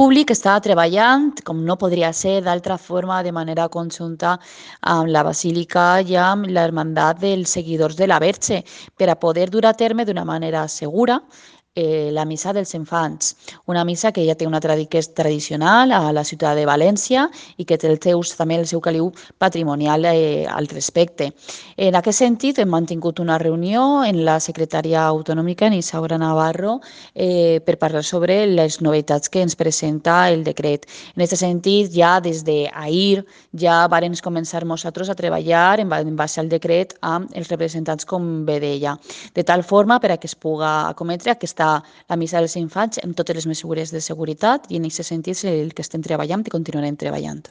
públic està treballant, com no podria ser d'altra forma, de manera conjunta amb la Basílica i amb l'Hermandat dels Seguidors de la Verge, per a poder dur a terme d'una manera segura la missa dels infants, una missa que ja té que és tradicional a la ciutat de València i que té també el seu caliu patrimonial al respecte. En aquest sentit, hem mantingut una reunió en la secretària autonòmica, en Isaura Navarro, per parlar sobre les novetats que ens presenta el decret. En aquest sentit, ja des d'ahir ja varen començar nosaltres a treballar en base al decret amb els representants, com bé deia, de tal forma per a que es puga acometre la missa dels infants amb totes les mesures de seguretat, i en aquest sentit és el que estem treballant i continuarem treballant.